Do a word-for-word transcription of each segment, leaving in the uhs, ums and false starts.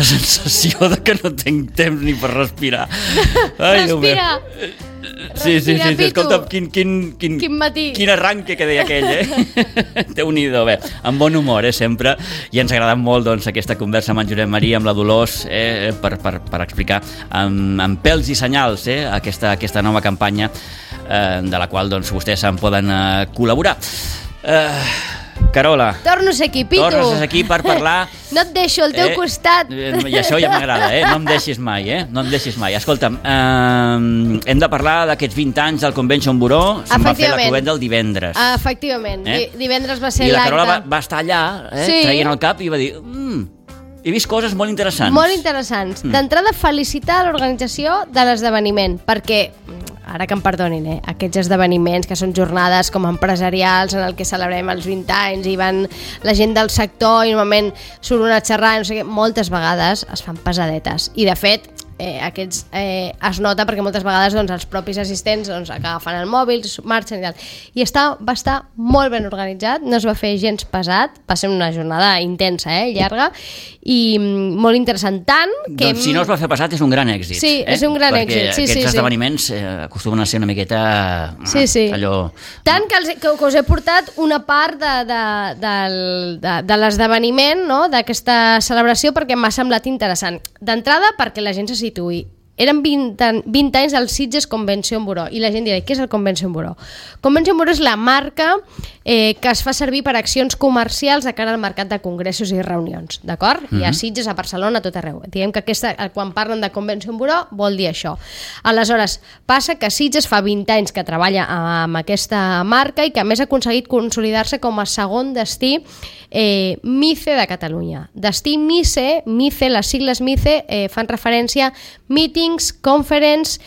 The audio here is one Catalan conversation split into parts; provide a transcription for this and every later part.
la sensació de que no tinc temps ni per respirar. Ai, Respira! Sí, sí, sí, sí. Escolta, quin, quin, quin, quin matí. Quin arranque que deia aquell, eh? Déu-n'hi-do, bé, amb bon humor, eh, sempre, i ens ha agradat molt, doncs, aquesta conversa amb en Josep Maria, amb la Dolors, eh, per, per, per explicar amb, amb pèls i senyals, eh, aquesta, aquesta nova campanya, eh, de la qual, doncs, vostès en poden eh, col·laborar. Eh... Carola, torno a ser aquí, Pitu. Tornes a ser aquí per parlar. No et deixo al teu eh, costat. I això ja m'agrada, eh? No em deixis mai, eh? No em deixis mai. Escolta'm, eh, hem de parlar d'aquests vint anys del Convention Bureau. Se'n va fer la cluenda el divendres. Efectivament. Eh? Divendres va ser l'acte. I la l'acte. Carola va, va estar allà, eh? Sí. Traient el cap i va dir... Mm, he vist coses molt interessants. Molt interessants. Mm. D'entrada, felicitar l'organització de l'esdeveniment, perquè... ara que em perdonin, eh? Aquests esdeveniments que són jornades com empresarials en el que celebrem els vint anys i van la gent del sector i normalment surt una xerrada, no sé què, moltes vegades es fan pesadetes i de fet eh, aquests eh, es nota perquè moltes vegades doncs, els propis assistents doncs, agafen el mòbil, marxen i tal i està, va estar molt ben organitzat, no es va fer gens pesat, va ser una jornada intensa, eh, llarga i mm, molt interessant, tant que... Doncs si no es va fer pesat és un gran èxit. Sí, eh? és un gran perquè èxit. Sí, aquests sí, esdeveniments eh, acostumen a ser una miqueta... Sí, sí. Allò... Tant que, els, que, que us he portat una part de, de, de, de, de l'esdeveniment, no? D'aquesta celebració, perquè m'ha semblat interessant. D'entrada, perquè la gent se situï. Eren vint, vint anys del Sitges Convention Bureau i la gent dirà, què és el Convention Bureau? Convention Bureau és la marca eh, que es fa servir per accions comercials de cara al mercat de congressos i reunions, d'acord? Mm-hmm. Hi ha Sitges, a Barcelona, a tot arreu. Diguem que aquesta, quan parlen de Convention Bureau vol dir això. Aleshores, passa que Sitges fa vint anys que treballa amb aquesta marca i que a més ha aconseguit consolidar-se com a segon destí eh, MICE de Catalunya. Destí MICE, MICE, les sigles MICE eh, fan referència a Meetings, Conference,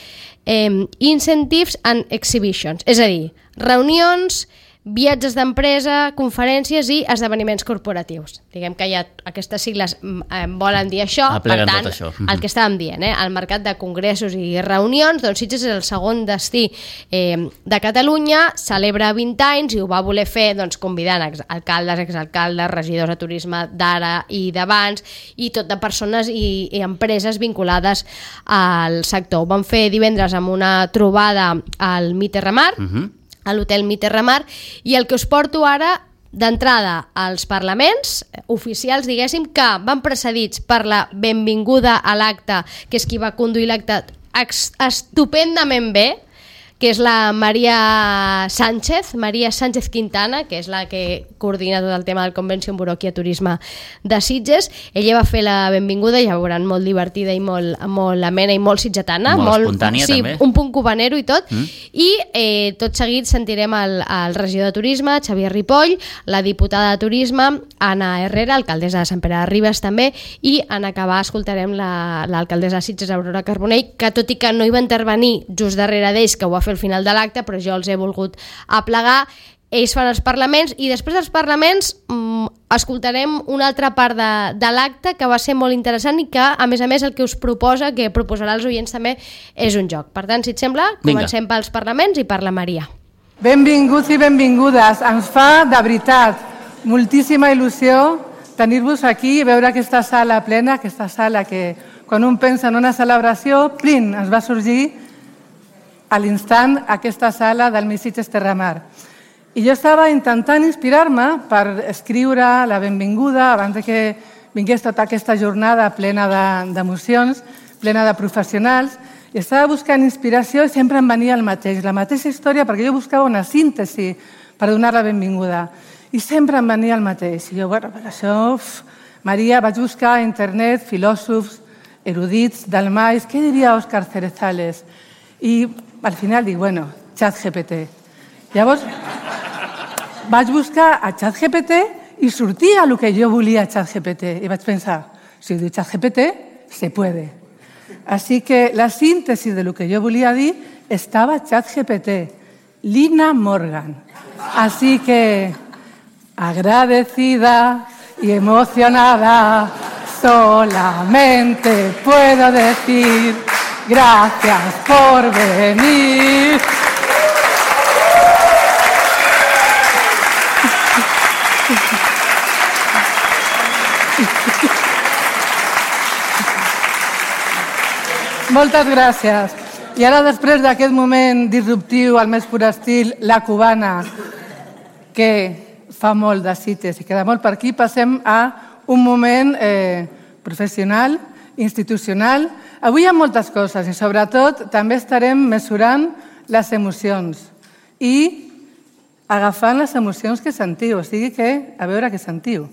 eh, Incentives and Exhibitions, és a dir, reunions, viatges d'empresa, conferències i esdeveniments corporatius. Diguem que hi ha aquestes sigles eh, volen dir això, Apleguen per tant, tot això. el que estàvem dient, eh, el mercat de congressos i reunions, doncs Sitges és el segon destí eh, de Catalunya, celebra vint anys i ho va voler fer doncs, convidant alcaldes, exalcaldes, regidors de turisme d'ara i d'abans i tot de persones i, i empreses vinculades al sector. Ho van fer divendres amb una trobada al Miterramar, uh-huh. a l'hotel Miterramar, i el que us porto ara d'entrada als parlaments oficials, diguéssim, que van precedits per la benvinguda a l'acte, que és qui va conduir l'acte estupendament bé, que és la Maria Sánchez, Maria Sánchez Quintana, que és la que coordina tot el tema del Convention Bureau aquí a Turisme de Sitges. Ella va fer la benvinguda, ja veuran, molt divertida i molt, molt amena i molt sitgetana. Molt, molt espontània, sí, també. Un punt cubanero i tot. Mm. I eh, tot seguit sentirem el, el regidor de Turisme, Xavier Ripoll, la diputada de Turisme, Anna Herrera, alcaldessa de Sant Pere de Ribes també, i en acabar escoltarem l'alcaldessa la, de Sitges, Aurora Carbonell, que tot i que no hi va intervenir just darrere d'ells, que ho va fer al final de l'acte, però jo els he volgut aplegar. Ells fan els parlaments i després dels parlaments mmm, escoltarem una altra part de, de l'acte que va ser molt interessant i que, a més a més, el que us proposa, que proposarà als oients també, és un joc. Per tant, si et sembla, comencem Vinga. Pels parlaments i per la Maria. Benvinguts i benvingudes. Ens fa, de veritat, moltíssima il·lusió tenir-vos aquí i veure aquesta sala plena, aquesta sala que, quan un pensa en una celebració, plin, ens va sorgir a l'instant aquesta sala del Sitges Terramar. I jo estava intentant inspirar-me per escriure la benvinguda abans de que vingués tota aquesta jornada plena d'emocions, plena de professionals, i estava buscant inspiració i sempre em venia el mateix, la mateixa història, perquè jo buscava una síntesi per donar la benvinguda. I sempre em venia el mateix. I jo, bueno, per això, uf, Maria, vaig buscar a internet filòsofs, erudits, dalmais, què diria Òscar Cerezales? I al final dic, bueno, ChatGPT. Llavors, vaig buscar a ChatGPT i sortia el que jo volia a ChatGPT. I vaig pensar, si ho diu ChatGPT, se puede. Así que la síntesi de lo que yo volia dir estaba ChatGPT, Lina Morgan. Así que, agradecida y emocionada, solamente puedo decir... Gracias por venir. Moltes gràcies. I ara, després d'aquest moment disruptiu, al més pur estil, la cubana, que fa molt de cites i queda molt per aquí, passem a un moment eh, professional, institucional. Avui hi ha moltes coses i, sobretot, també estarem mesurant les emocions i agafant les emocions que sentiu, o sigui que a veure què sentiu.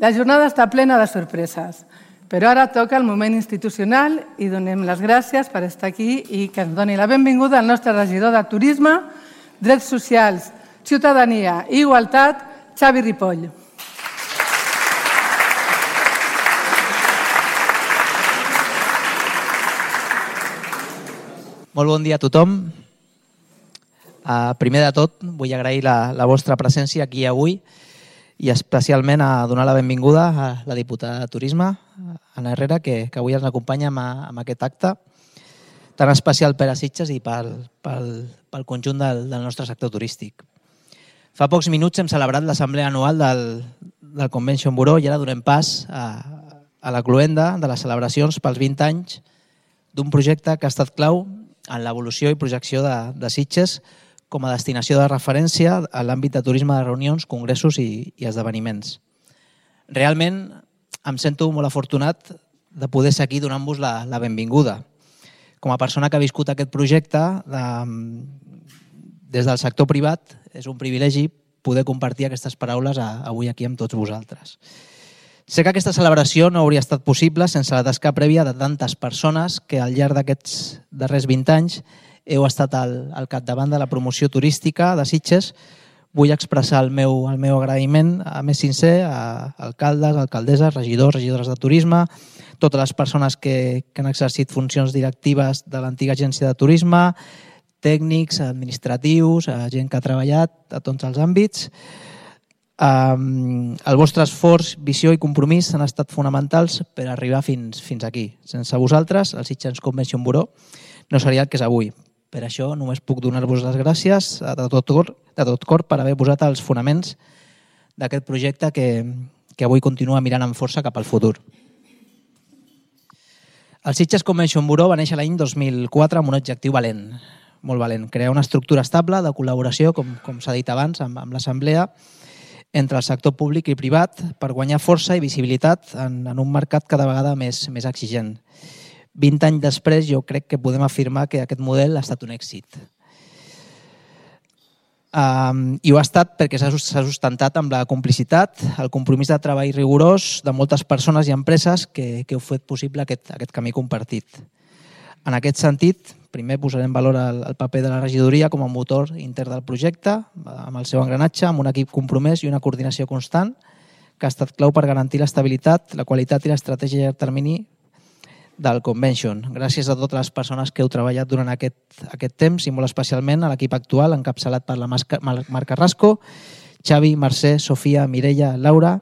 La jornada està plena de sorpreses, però ara toca el moment institucional i donem les gràcies per estar aquí i que ens doni la benvinguda al nostre regidor de Turisme, Drets Socials, Ciutadania i Igualtat, Xavi Ripoll. Molt bon dia a tothom. Uh, primer de tot, vull agrair la, la vostra presència aquí avui i especialment a donar la benvinguda a la diputada de Turisme, Anna Herrera, que, que avui ens acompanya amb, amb aquest acte tan especial per a Sitges i pel, pel, pel conjunt del, del nostre sector turístic. Fa pocs minuts hem celebrat l'assemblea anual del, del Convention Bureau i ara donem pas a, a la cloenda de les celebracions pels vint anys d'un projecte que ha estat clau en l'evolució i projecció de, de Sitges com a destinació de referència a l'àmbit de turisme de reunions, congressos i, i esdeveniments. Realment em sento molt afortunat de poder ser aquí donant-vos la, la benvinguda. Com a persona que ha viscut aquest projecte, de, des del sector privat, és un privilegi poder compartir aquestes paraules a, avui aquí amb tots vosaltres. Sé que aquesta celebració no hauria estat possible sense la tasca prèvia de tantes persones que al llarg d'aquests darrers vint anys heu estat al, al capdavant de la promoció turística de Sitges. Vull expressar el meu, el meu agraïment a més sincer a alcaldes, alcaldesses, regidors, regidores de turisme, totes les persones que, que han exercit funcions directives de l'antiga agència de turisme, tècnics, administratius, gent que ha treballat a tots els àmbits. Um, el vostre esforç, visió i compromís han estat fonamentals per arribar fins, fins aquí. Sense vosaltres, el Sitges Convention Bureau no seria el que és avui. Per això només puc donar-vos les gràcies de tot cor, de tot cor per haver posat els fonaments d'aquest projecte que, que avui continua mirant amb força cap al futur. El Sitges Convention Bureau va néixer l'any dos mil quatre amb un objectiu valent, molt valent, crear una estructura estable de col·laboració, com, com s'ha dit abans, amb, amb l'Assemblea, entre el sector públic i privat per guanyar força i visibilitat en, en un mercat cada vegada més, més exigent. vint anys després jo crec que podem afirmar que aquest model ha estat un èxit. Um, I ho ha estat perquè s'ha sustentat amb la complicitat, el compromís de treball rigorós de moltes persones i empreses que, que heu fet possible aquest, aquest camí compartit. En aquest sentit, primer posarem valor al, al paper de la regidoria com a motor intern del projecte, amb el seu engranatge, amb un equip compromès i una coordinació constant, que ha estat clau per garantir l'estabilitat, la qualitat i l'estratègia a llarg termini del Convention. Gràcies a totes les persones que heu treballat durant aquest, aquest temps i molt especialment a l'equip actual, encapçalat per la Marc Carrasco, Xavi, Mercè, Sofia, Mireia, Laura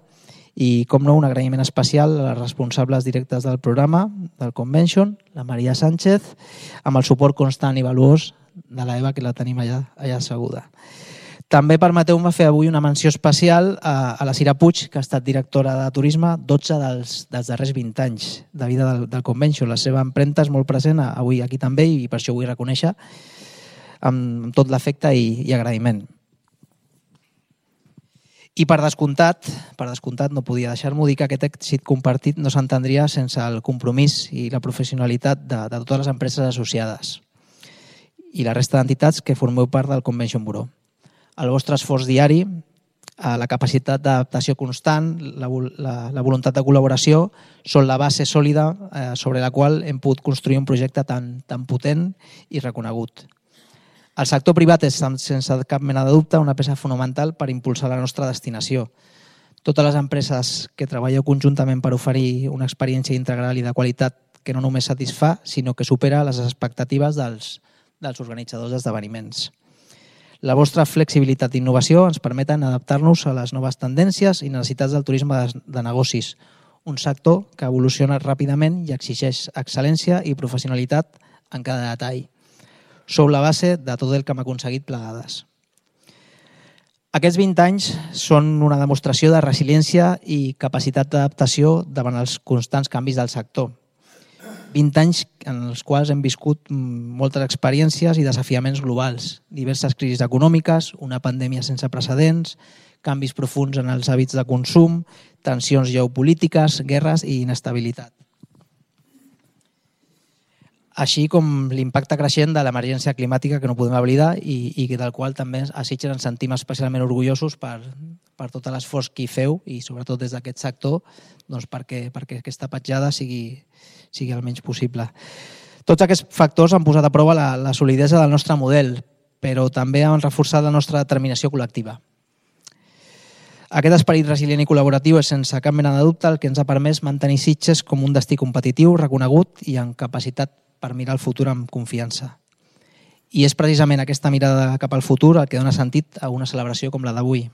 i, com no, un agraïment especial a les responsables directes del programa, del Convention, la Maria Sánchez, amb el suport constant i valuós de l'Eva, que la tenim allà, allà asseguda. També permeteu-me fer avui una menció especial a, a la Cira Puig, que ha estat directora de turisme dotze dels, dels darrers vint anys de vida del, del Convention. La seva empremta és molt present avui aquí també i per això vull reconèixer amb, amb tot l'afecte i, i agraïment. I per descomptat, per descomptat no podia deixar-m'ho dir que aquest èxit compartit no s'entendria sense el compromís i la professionalitat de, de totes les empreses associades i la resta d'entitats que formeu part del Convention Bureau. El vostre esforç diari, la capacitat d'adaptació constant, la, la, la voluntat de col·laboració són la base sòlida eh, sobre la qual hem pogut construir un projecte tan, tan potent i reconegut. El sector privat és, sense cap mena de dubte, una peça fonamental per impulsar la nostra destinació. Totes les empreses que treballeu conjuntament per oferir una experiència integral i de qualitat que no només satisfà, sinó que supera les expectatives dels, dels organitzadors d'esdeveniments. La vostra flexibilitat i innovació ens permeten adaptar-nos a les noves tendències i necessitats del turisme de, de negocis, un sector que evoluciona ràpidament i exigeix excel·lència i professionalitat en cada detall. Sou la base de tot el que hem aconseguit plegades. Aquests vint anys són una demostració de resiliència i capacitat d'adaptació davant els constants canvis del sector. vint anys en els quals hem viscut moltes experiències i desafiaments globals, diverses crisis econòmiques, una pandèmia sense precedents, canvis profuns en els hàbits de consum, tensions geopolítiques, guerres i inestabilitat. Així com l'impacte creixent de l'emergència climàtica que no podem oblidar i, i del qual també a Sitges ens sentim especialment orgullosos per, per tot l'esforç que hi feu i sobretot des d'aquest sector doncs perquè, perquè aquesta petjada sigui, sigui el menys possible. Tots aquests factors han posat a prova la, la solidesa del nostre model, però també han reforçat la nostra determinació col·lectiva. Aquest esperit resilient i col·laboratiu és sense cap mena de dubte el que ens ha permès mantenir Sitges com un destí competitiu, reconegut i amb capacitat per mirar el futur amb confiança. I és precisament aquesta mirada cap al futur el que dona sentit a una celebració com la d'avui.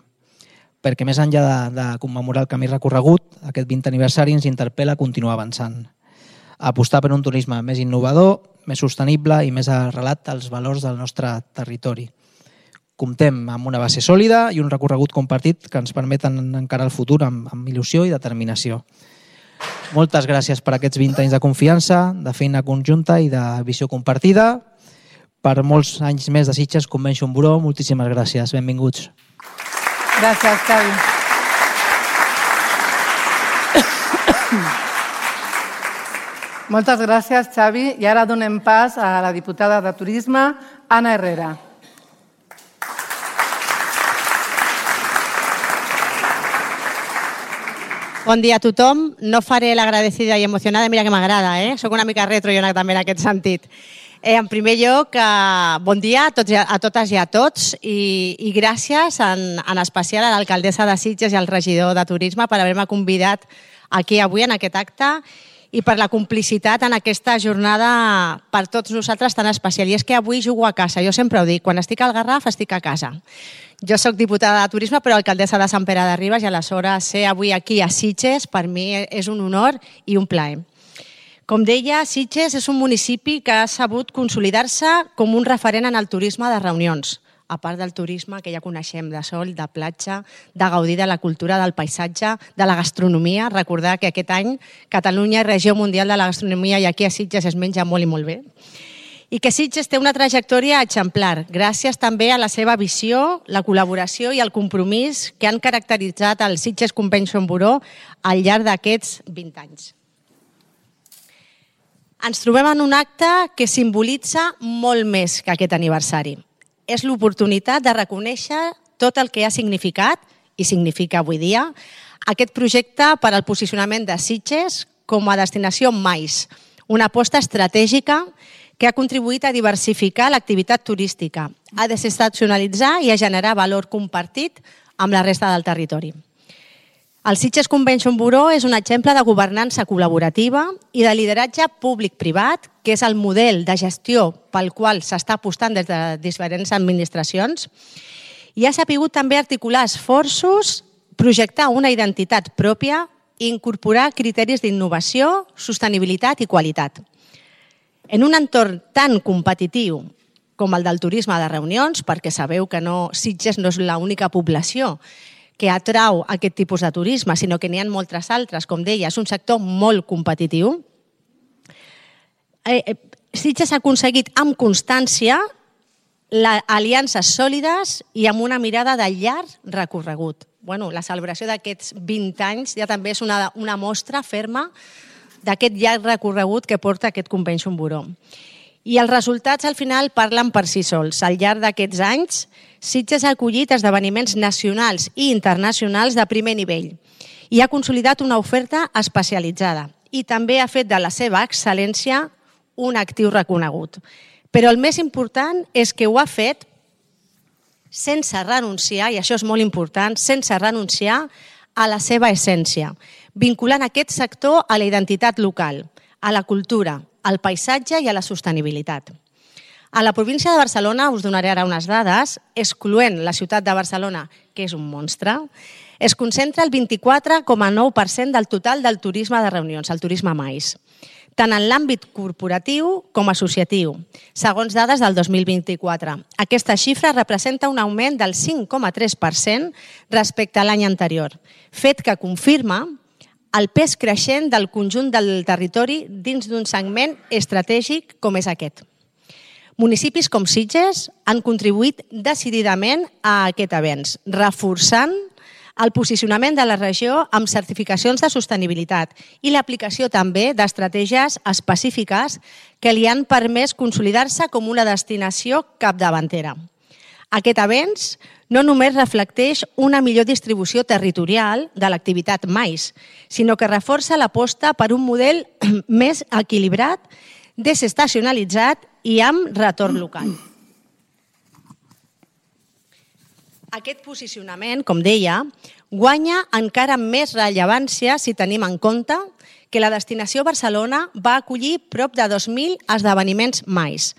Perquè més enllà de, de commemorar el camí recorregut, aquest vint aniversari ens interpel·la a continuar avançant. A apostar per un turisme més innovador, més sostenible i més arrelat als valors del nostre territori. Comptem amb una base sòlida i un recorregut compartit que ens permeten encarar el futur amb, amb il·lusió i determinació. Moltes gràcies per aquests vint anys de confiança, de feina conjunta i de visió compartida. Per molts anys més de Sitges Convention Bureau, moltíssimes gràcies. Benvinguts. Gràcies, Xavi. Moltes gràcies, Xavi. I ara donem pas a la diputada de Turisme, Anna Herrera. Bon dia a tothom. No faré l'agradecida i emocionada, mira que m'agrada, eh? Soc una mica retro jo també en aquest sentit. Eh, en primer lloc, eh, bon dia a, tots, a totes i a tots i, i gràcies en, en especial a l'alcaldessa de Sitges i al regidor de Turisme per haver-me convidat aquí avui en aquest acte i per la complicitat en aquesta jornada per tots nosaltres tan especial. I és que avui jugo a casa, jo sempre ho dic, quan estic al Garraf estic a casa. Jo soc diputada de Turisme, però alcaldessa de Sant Pere de Ribes i aleshores ser avui aquí a Sitges per mi és un honor i un plaer. Com deia, Sitges és un municipi que ha sabut consolidar-se com un referent en el turisme de reunions, a part del turisme que ja coneixem de sol, de platja, de gaudir de la cultura, del paisatge, de la gastronomia. Recordar que aquest any Catalunya és regió mundial de la gastronomia i aquí a Sitges es menja molt i molt bé. I que Sitges té una trajectòria exemplar, gràcies també a la seva visió, la col·laboració i el compromís que han caracteritzat el Sitges Convention Bureau al llarg d'aquests vint anys. Ens trobem en un acte que simbolitza molt més que aquest aniversari. És l'oportunitat de reconèixer tot el que ha significat, i significa avui dia, aquest projecte per al posicionament de Sitges com a destinació mais, una aposta estratègica que ha contribuït a diversificar l'activitat turística, a desestacionalitzar i a generar valor compartit amb la resta del territori. El Sitges Convention Bureau és un exemple de governança col·laborativa i de lideratge públic-privat, que és el model de gestió pel qual s'està apostant des de diferents administracions, i ha sabut també articular esforços, projectar una identitat pròpia i incorporar criteris d'innovació, sostenibilitat i qualitat. En un entorn tan competitiu com el del turisme de reunions, perquè sabeu que no, Sitges no és l'única població que atrau aquest tipus de turisme, sinó que n'hi ha moltes altres, com deia, és un sector molt competitiu. Eh, Sitges ha aconseguit amb constància aliances sòlides i amb una mirada de llarg recorregut. Bueno, la celebració d'aquests vint anys ja també és una, una mostra ferma d'aquest llarg recorregut que porta aquest Convention Bureau. I els resultats al final parlen per si sols. Al llarg d'aquests anys, Sitges ha acollit esdeveniments nacionals i internacionals de primer nivell i ha consolidat una oferta especialitzada i també ha fet de la seva excel·lència un actiu reconegut. Però el més important és que ho ha fet sense renunciar, i això és molt important, sense renunciar a la seva essència, vinculant aquest sector a la identitat local, a la cultura, al paisatge i a la sostenibilitat. A la província de Barcelona, us donaré ara unes dades, excloent la ciutat de Barcelona, que és un monstre, es concentra el vint-i-quatre coma nou per cent del total del turisme de reunions, el turisme mais, tant en l'àmbit corporatiu com associatiu, segons dades del dos mil vint-i-quatre. Aquesta xifra representa un augment del cinc coma tres per cent respecte a l'any anterior, fet que confirma el pes creixent del conjunt del territori dins d'un segment estratègic com és aquest. Municipis com Sitges han contribuït decididament a aquest avenç, reforçant el posicionament de la regió amb certificacions de sostenibilitat i l'aplicació també d'estratègies específiques que li han permès consolidar-se com una destinació capdavantera. Aquest avenç no només reflecteix una millor distribució territorial de l'activitat mais, sinó que reforça l'aposta per un model més equilibrat, desestacionalitzat i amb retorn local. Aquest posicionament, com deia, guanya encara més rellevància si tenim en compte que la destinació Barcelona va acollir prop de dos mil esdeveniments mais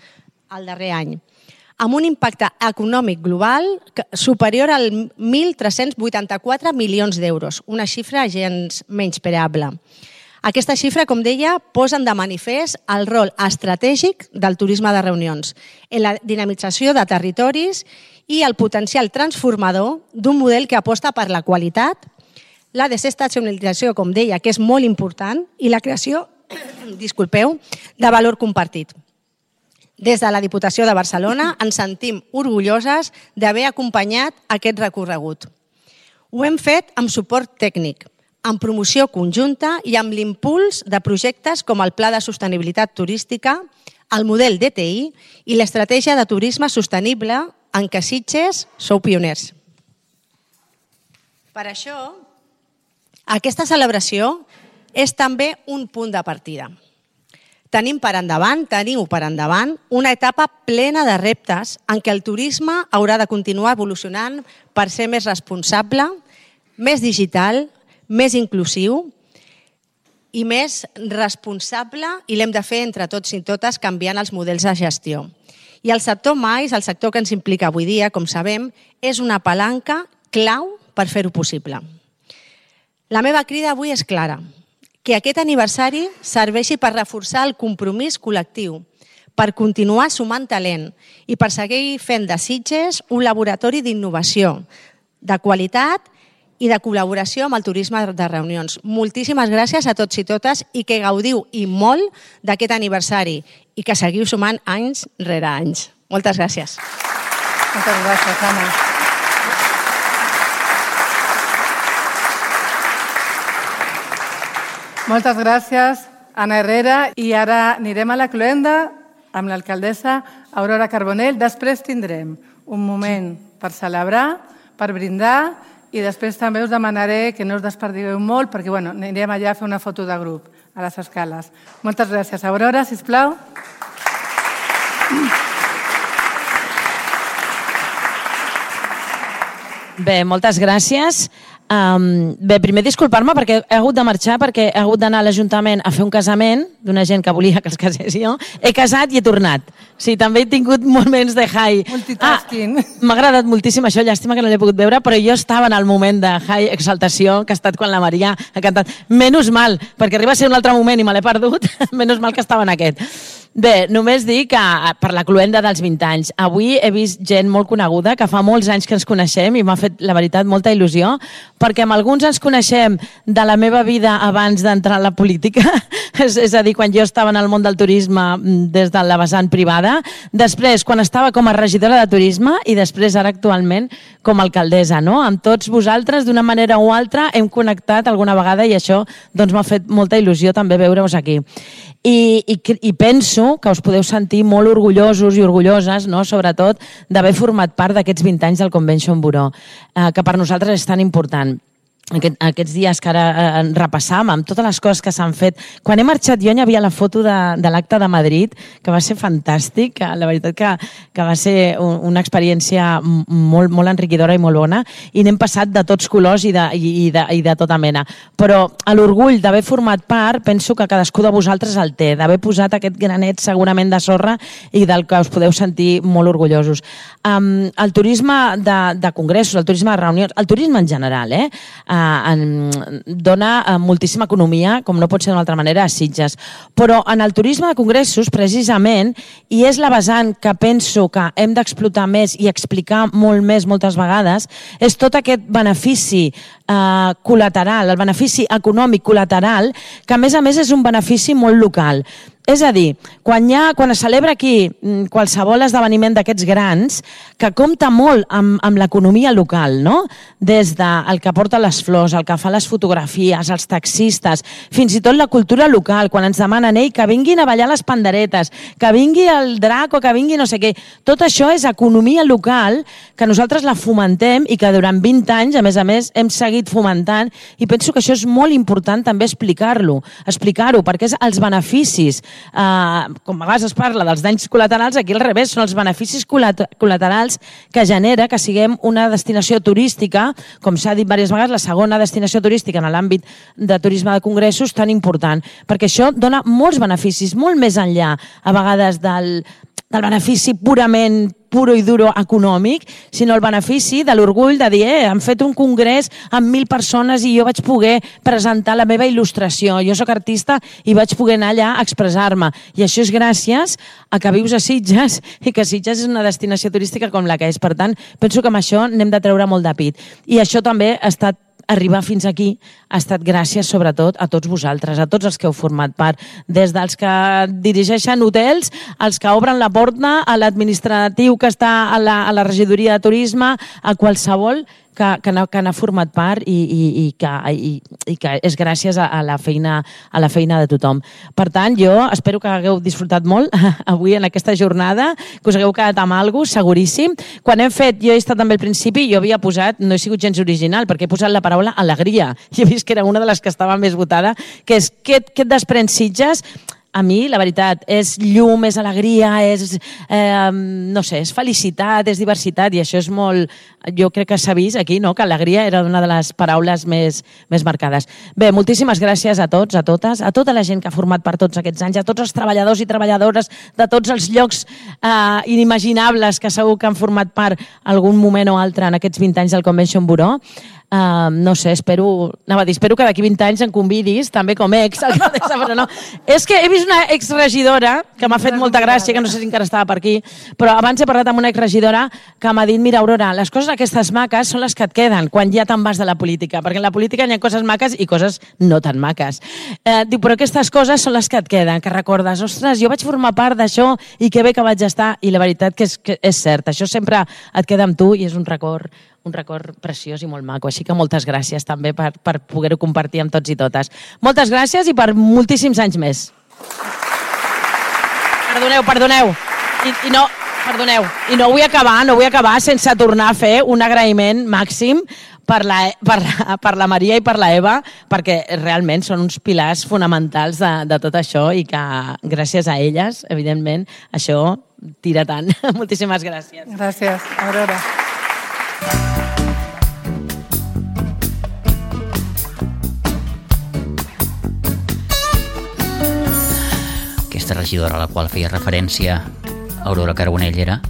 el darrer any, amb un impacte econòmic global superior als mil tres-cents vuitanta-quatre milions d'euros, una xifra gens menyspreable. Aquesta xifra, com deia, posa de manifest el rol estratègic del turisme de reunions en la dinamització de territoris i el potencial transformador d'un model que aposta per la qualitat, la desestacionalització, com deia, que és molt important, i la creació, disculpeu, de valor compartit. Des de la Diputació de Barcelona ens sentim orgulloses d'haver acompanyat aquest recorregut. Ho hem fet amb suport tècnic, amb promoció conjunta i amb l'impuls de projectes com el Pla de Sostenibilitat Turística, el model D T I i l'estratègia de turisme sostenible en què Sitges sou pioners. Per això, aquesta celebració és també un punt de partida. Tenim per endavant, teniu per endavant, una etapa plena de reptes en què el turisme haurà de continuar evolucionant per ser més responsable, més digital, més inclusiu i més responsable, i l'hem de fer entre tots i totes canviant els models de gestió. I el sector mais, el sector que ens implica avui dia, com sabem, és una palanca clau per fer-ho possible. La meva crida avui és clara, que aquest aniversari serveixi per reforçar el compromís col·lectiu, per continuar sumant talent i per seguir fent de Sitges un laboratori d'innovació, de qualitat i de col·laboració amb el turisme de reunions. Moltíssimes gràcies a tots i totes i que gaudiu i molt d'aquest aniversari i que seguiu sumant anys rere anys. Moltes gràcies. Moltes gràcies, Anna. Moltes gràcies, Anna Herrera. I ara anirem a la cloenda amb l'alcaldessa Aurora Carbonell. Després tindrem un moment per celebrar, per brindar, i després també us demanaré que no us desperdigueu molt perquè bueno, anirem allà a fer una foto de grup a les escales. Moltes gràcies. Aurora, sisplau. Bé, moltes gràcies. Um, bé, primer disculpar-me perquè he hagut de marxar, perquè he hagut d'anar a l'Ajuntament a fer un casament d'una gent que volia que els casés jo. He casat i he tornat. Sí, també he tingut moments de high. Multitasking. Ah, m'ha agradat moltíssim això, llàstima que no l'he pogut veure, però jo estava en el moment de high exaltació que ha estat quan la Maria ha cantat. Menys mal, perquè arriba a ser un altre moment i me l'he perdut, menys mal que estava en aquest. Bé, només dir que per la cloenda dels vint anys, avui he vist gent molt coneguda, que fa molts anys que ens coneixem i m'ha fet, la veritat, molta il·lusió, perquè amb alguns ens coneixem de la meva vida abans d'entrar a la política, és, és a dir, quan jo estava en el món del turisme des de la vessant privada, després quan estava com a regidora de turisme i després ara actualment com a alcaldessa, no? Amb tots vosaltres, d'una manera o altra, hem connectat alguna vegada i això doncs, m'ha fet molta il·lusió també veure-us aquí. I, i, i penso que us podeu sentir molt orgullosos i orgulloses, no? Sobretot d'haver format part d'aquests vint anys del Convention Bureau, eh, que per nosaltres és tan important. Aquest, aquests dies que ara eh, repassam amb totes les coses que s'han fet. Quan he marxat jo hi havia la foto de, de l'acte de Madrid, que va ser fantàstic, que la veritat que, que va ser un, una experiència molt, molt enriquidora i molt bona, i n'hem passat de tots colors i de, i, de, i de tota mena. Però l'orgull d'haver format part, penso que cadascú de vosaltres el té, d'haver posat aquest granet segurament de sorra i del que us podeu sentir molt orgullosos. Um, el turisme de, de congressos, el turisme de reunions, el turisme en general, eh? eh, dona eh, moltíssima economia, com no pot ser d'una altra manera, a Sitges. Però en el turisme de congressos, precisament, i és la vessant que penso que hem d'explotar més i explicar molt més moltes vegades, és tot aquest benefici eh, col·lateral, el benefici econòmic col·lateral, que a més a més és un benefici molt local. És a dir, quan, hi ha, quan es celebra aquí qualsevol esdeveniment d'aquests grans, que compta molt amb, amb l'economia local, no? Des del que porta les flors, el que fa les fotografies, els taxistes, fins i tot la cultura local, quan ens demanen ei, que vinguin a ballar les panderetes, que vingui el drac o que vingui no sé què. Tot això és economia local que nosaltres la fomentem i que durant vint anys, a més a més, hem seguit fomentant, i penso que això és molt important també explicar-lo, explicar-ho, perquè és els beneficis. Uh, com a vegades es parla dels danys col·laterals, aquí al revés, són els beneficis col·laterals que genera que siguem una destinació turística, com s'ha dit diverses vegades, la segona destinació turística en l'àmbit de turisme de congressos tan important, perquè això dona molts beneficis, molt més enllà a vegades del, del benefici purament puro i duro econòmic, sinó el benefici de l'orgull de dir, eh, han fet un congrés amb mil persones i jo vaig poder presentar la meva il·lustració. Jo sóc artista i vaig poder anar allà a expressar-me. I això és gràcies a que vius a Sitges i que Sitges és una destinació turística com la que és. Per tant, penso que amb això n'hem de treure molt de pit. I això també ha estat arribar fins aquí ha estat gràcies sobretot a tots vosaltres, a tots els que heu format part, des dels que dirigeixen hotels, als que obren la porta, a l'administratiu que està a la, a la regidoria de turisme, a qualsevol que, que, n'ha, que n'ha format part i, i, i, que, i, i que és gràcies a, a, la feina, a la feina de tothom. Per tant, jo espero que hagueu disfrutat molt avui en aquesta jornada, que us hagueu quedat amb alguna cosa, seguríssim. Quan hem fet, jo he estat també al principi, jo havia posat, no he sigut gens original, perquè he posat la paraula alegria. I he vist que era una de les que estava més votada, que és què et desprèn Sitges. A mi, la veritat, és llum, és alegria, és, eh, no sé, és felicitat, és diversitat, i això és molt... Jo crec que s'ha vist aquí, no?, que alegria era una de les paraules més, més marcades. Bé, moltíssimes gràcies a tots, a totes, a tota la gent que ha format per tots aquests anys, a tots els treballadors i treballadores de tots els llocs eh, inimaginables que segur que han format part algun moment o altre en aquests vint anys del Convention Bureau. Uh, no sé, espero, anava a dir, espero que d'aquí vint anys em convidis, també com ex, alcaldessa, però no. És que he vist una exregidora que m'ha fet molta gràcia, que no sé si encara estava per aquí, però abans he parlat amb una exregidora que m'ha dit, mira, Aurora, les coses aquestes maques són les que et queden quan ja te'n vas de la política, perquè en la política hi ha coses maques i coses no tan maques. Eh, diu, però aquestes coses són les que et queden, que recordes, ostres, jo vaig formar part d'això i que bé que vaig estar, i la veritat que és, que és cert, això sempre et queda amb tu i és un record un record preciós i molt maco. Així que moltes gràcies també per, per poder-ho compartir amb tots i totes. Moltes gràcies i per moltíssims anys més. Perdoneu, perdoneu. I, i no, perdoneu. I no vull acabar, no vull acabar sense tornar a fer un agraïment màxim per la, per, la, per la Maria i per la Eva, perquè realment són uns pilars fonamentals de, de tot això i que gràcies a elles, evidentment, això tira tant. Moltíssimes gràcies. Gràcies, Aurora. Aquesta regidora a la qual feia referència Aurora Carbonell era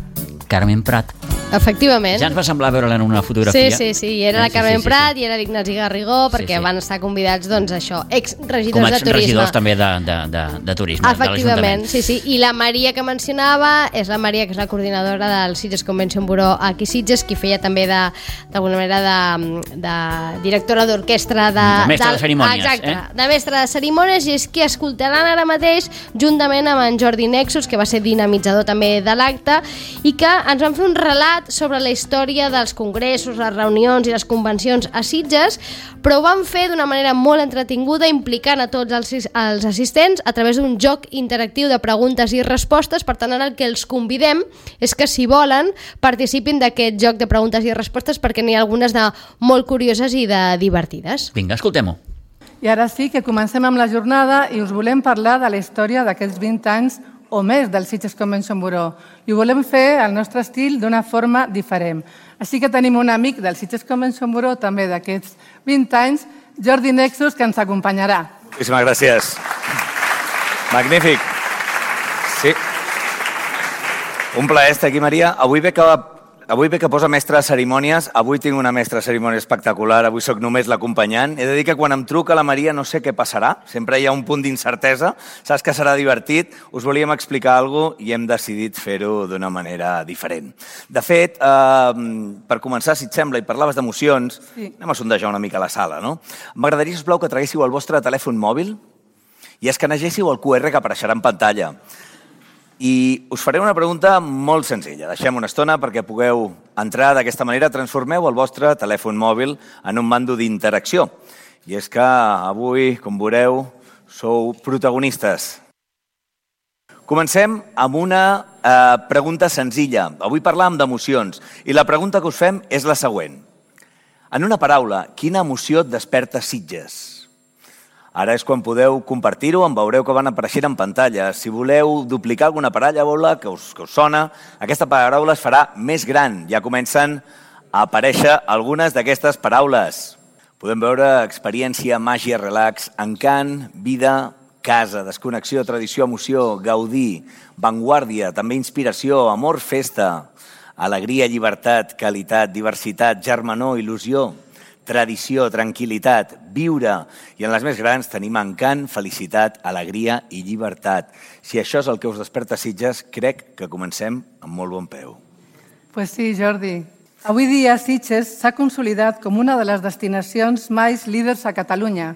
Carmen Prat. Efectivament. Ja ens va semblar veure-la en una fotografia. Sí, sí, sí, i era la Carmen sí, sí, sí, Prat sí. i era l'Ignasi Garrigó, perquè sí, sí. van estar convidats, doncs, això, ex-regidors Com de turisme. Com ex-regidors també de, de, de, de turisme, efectivament, de l'Ajuntament. Sí, sí, i la Maria que mencionava és la Maria, que és la coordinadora del Sitges Convention Bureau aquí Sitges, qui feia també d'alguna manera de, de directora d'orquestra de... De mestre de, de cerimònies. Exacte, eh? de mestre de cerimònies, i és qui escoltaran ara mateix, juntament amb en Jordi Nexus, que va ser dinamitzador també de l'acte, i que ens van fer un relat sobre la història dels congressos, les reunions i les convencions a Sitges, però ho van fer d'una manera molt entretinguda, implicant a tots els, els assistents a través d'un joc interactiu de preguntes i respostes. Per tant, ara el que els convidem és que, si volen, participin d'aquest joc de preguntes i respostes, perquè n'hi ha algunes de molt curioses i de divertides. Vinga, escoltem-ho. I ara sí que comencem amb la jornada i us volem parlar de la història d'aquests vint anys o més del Sitges Convention Bureau. I ho volem fer al nostre estil d'una forma diferent. Així que tenim un amic del Sitges Convention Bureau, també d'aquests vint anys, Jordi Nexus, que ens acompanyarà. Moltíssimes gràcies. Magnífic. Sí. Un plaer estar aquí, Maria. Avui veig que avui ve que posa mestre de cerimònies, avui tinc una mestra de cerimònies espectacular, avui sóc només l'acompanyant. He de dir que quan em truca la Maria no sé què passarà, sempre hi ha un punt d'incertesa, saps que serà divertit, us volíem explicar alguna cosa i hem decidit fer-ho d'una manera diferent. De fet, eh, per començar, si et sembla, i parlaves d'emocions, sí. Anem a sondejar una mica la sala, no? M'agradaria, sisplau, que traguéssiu el vostre telèfon mòbil i escanegéssiu el cu erre que apareixerà en pantalla. I us faré una pregunta molt senzilla. Deixem una estona perquè pugueu entrar d'aquesta manera. Transformeu el vostre telèfon mòbil en un mando d'interacció. I és que avui, com veureu, sou protagonistes. Comencem amb una eh, pregunta senzilla. Avui parlàvem d'emocions i la pregunta que us fem és la següent. En una paraula, quina emoció et desperta Sitges? Ara és quan podeu compartir-ho, en veureu que van apareixent en pantalla. Si voleu duplicar alguna paraula que us, que us sona, aquesta paraula es farà més gran. Ja comencen a aparèixer algunes d'aquestes paraules. Podem veure experiència, màgia, relax, encant, vida, casa, desconnexió, tradició, emoció, gaudir, vanguardia, també inspiració, amor, festa, alegria, llibertat, qualitat, diversitat, germanor, il·lusió, tradició, tranquil·litat, viure, i en les més grans tenim encant, felicitat, alegria i llibertat. Si això és el que us desperta Sitges, crec que comencem amb molt bon peu. Pues sí, Jordi. Avui dia Sitges s'ha consolidat com una de les destinacions més líders a Catalunya,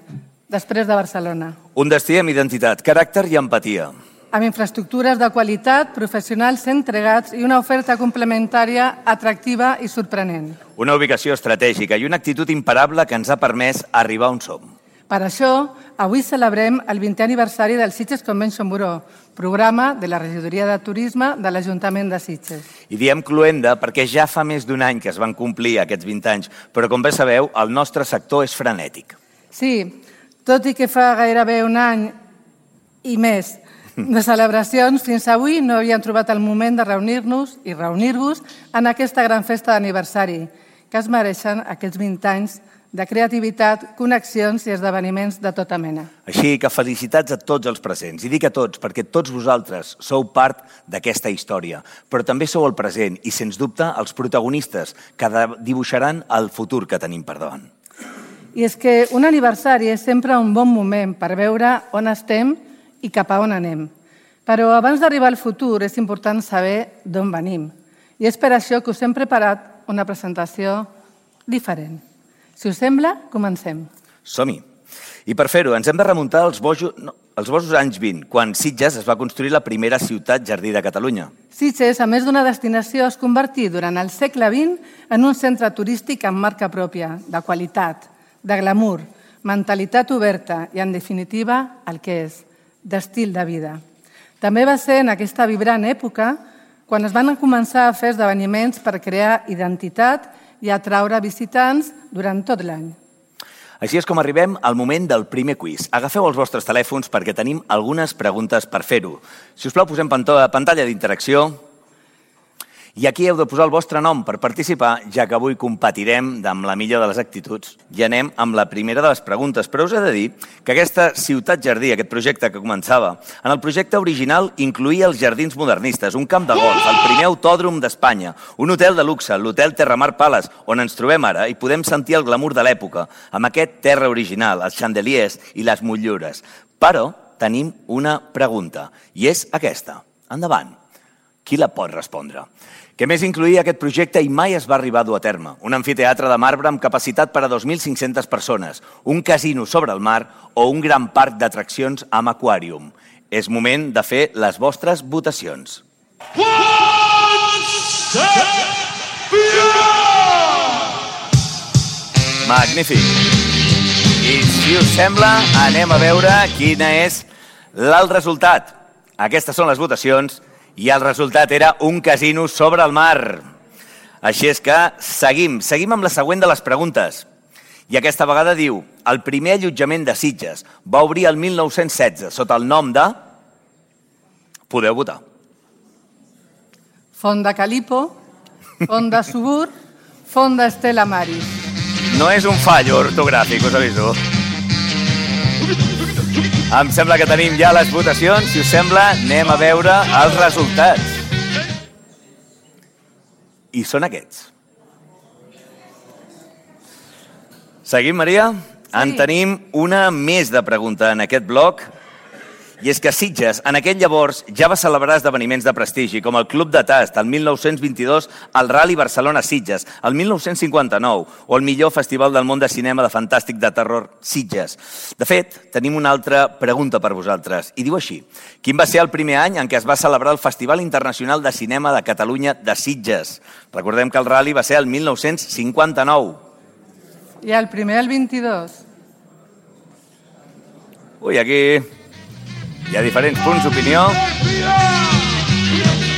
després de Barcelona. Un destí amb identitat, caràcter i empatia. Amb infraestructures de qualitat, professionals entregats i una oferta complementària atractiva i sorprenent. Una ubicació estratègica i una actitud imparable que ens ha permès arribar on som. Per això, avui celebrem el vintè aniversari del Sitges Convention Bureau, programa de la Regidoria de Turisme de l'Ajuntament de Sitges. I diem cluenda perquè ja fa més d'un any que es van complir aquests vint anys, però com bé sabeu, el nostre sector és frenètic. Sí, tot i que fa gairebé un any i més de celebracions, fins avui no havíem trobat el moment de reunir-nos i reunir-vos en aquesta gran festa d'aniversari, que es mereixen aquests vint anys de creativitat, connexions i esdeveniments de tota mena. Així que felicitats a tots els presents. I dic a tots perquè tots vosaltres sou part d'aquesta història, però també sou el present i, sens dubte, els protagonistes que dibuixaran el futur que tenim per davant. I és que un aniversari és sempre un bon moment per veure on estem i cap a on anem. Però abans d'arribar al futur és important saber d'on venim. I és per això que us hem preparat una presentació diferent. Si us sembla, comencem. Som-hi. I per fer-ho ens hem de remuntar als bojos, no, als bojos anys vint, quan Sitges es va construir la primera ciutat jardí de Catalunya. Sitges, a més d'una destinació, es convertí durant el segle vint en un centre turístic amb marca pròpia, de qualitat, de glamour, mentalitat oberta i, en definitiva, el que és, d'estil de vida. També va ser en aquesta vibrant època quan es van començar a fer esdeveniments per crear identitat i atraure visitants durant tot l'any. Així és com arribem al moment del primer quiz. Agafeu els vostres telèfons perquè tenim algunes preguntes per fer-ho. Si us plau, posem pantalla d'interacció. I aquí heu de posar el vostre nom per participar, ja que avui competirem amb la millor de les actituds. I anem amb la primera de les preguntes. Però us he de dir que aquesta ciutat jardí, aquest projecte que començava, en el projecte original incluïa els jardins modernistes, un camp de golf, el primer autòdrom d'Espanya, un hotel de luxe, l'hotel Terramar Palace, on ens trobem ara i podem sentir el glamour de l'època, amb aquest terra original, els chandeliers i les motllures. Però tenim una pregunta, i és aquesta. Endavant. Qui la pot respondre? Què més incluïa aquest projecte i mai es va arribar a dur a terme? Un amfiteatre de marbre amb capacitat per a dos mil cinc-centes persones, un casino sobre el mar o un gran parc d'atraccions amb aquàrium. És moment de fer les vostres votacions. Magnífic! I si us sembla, anem a veure quina és el resultat. Aquestes són les votacions. I el resultat era un casino sobre el mar. Així és que seguim, seguim amb la següent de les preguntes. I aquesta vegada diu, el primer allotjament de Sitges va obrir el mil nou-cents setze sota el nom de... Podeu votar. Font de Calipo, Font de Subur, Font d'Estela Maris. No és un fallo ortogràfic, us aviso. Em sembla que tenim ja les votacions. Si us sembla, anem a veure els resultats. I són aquests. Seguim, Maria? Sí. En tenim una més de pregunta en aquest bloc. I és que Sitges, en aquell llavors, ja va celebrar esdeveniments de prestigi, com el Club de Tast, el mil nou-cents vint-i-dos, el Rally Barcelona-Sitges, el mil nou-cents cinquanta-nou, o el millor festival del món de cinema de fantàstic de terror, Sitges. De fet, tenim una altra pregunta per vosaltres, i diu així. Quin va ser el primer any en què es va celebrar el Festival Internacional de Cinema de Catalunya de Sitges? Recordem que el Rally va ser el mil nou-cents cinquanta-nou. I el primer, el vint-i-dos. Ui, aquí... hi ha diferents punts d'opinió.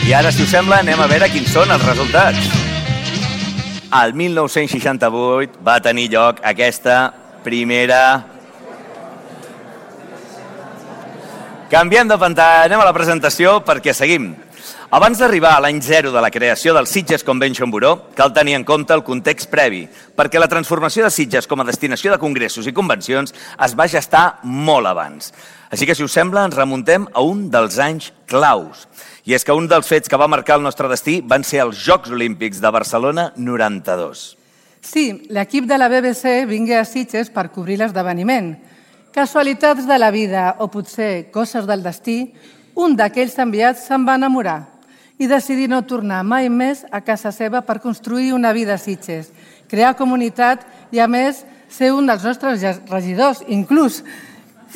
I ara, si us sembla, anem a veure quins són els resultats. El mil nou-cents seixanta-vuit va tenir lloc aquesta primera... Canviem de pantalla, anem a la presentació perquè seguim. Abans d'arribar a l'any zero de la creació del Sitges Convention Bureau, cal tenir en compte el context previ, perquè la transformació de Sitges com a destinació de congressos i convencions es va gestar molt abans. Així que, si us sembla, ens remuntem a un dels anys claus. I és que un dels fets que va marcar el nostre destí van ser els Jocs Olímpics de Barcelona noranta-dos. Sí, l'equip de la B B C vingué a Sitges per cobrir l'esdeveniment. Casualitats de la vida o potser coses del destí, un d'aquells enviats se'n va enamorar i decidir no tornar mai més a casa seva per construir una vida a Sitges, crear comunitat i, a més, ser un dels nostres regidors, inclús,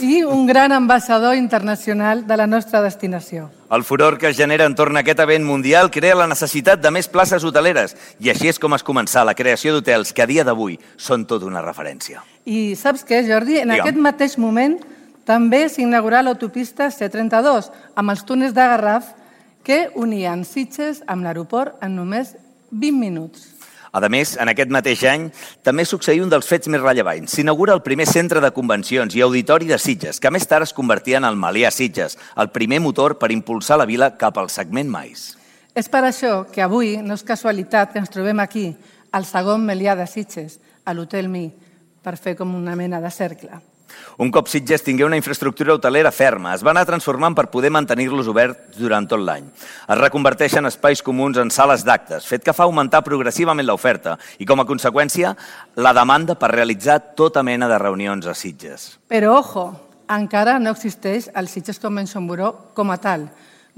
i un gran ambaixador internacional de la nostra destinació. El furor que es genera entorn a aquest event mundial crea la necessitat de més places hoteleres i així és com es començà la creació d'hotels que a dia d'avui són tot una referència. I saps què, Jordi? En Digue'm. aquest mateix moment també s'inaugurà l'autopista C trenta-dos amb els túnels de Garraf que unien Sitges amb l'aeroport en només vint minuts. A més, en aquest mateix any, també succeí un dels fets més rellevants. S'inaugura el primer centre de convencions i auditori de Sitges, que més tard es convertia en el Melià Sitges, el primer motor per impulsar la vila cap al segment mais. És per això que avui no és casualitat que ens trobem aquí, al segon Melià de Sitges, a l'Hotel Mi, per fer com una mena de cercle. Un cop Sitges tingué una infraestructura hotelera ferma, es va anar transformant per poder mantenir-los oberts durant tot l'any. Es reconverteixen espais comuns en sales d'actes, fet que fa augmentar progressivament l'oferta i, com a conseqüència, la demanda per realitzar tota mena de reunions a Sitges. Però, ojo, encara no existeix el Sitges Convention Bureau com a tal.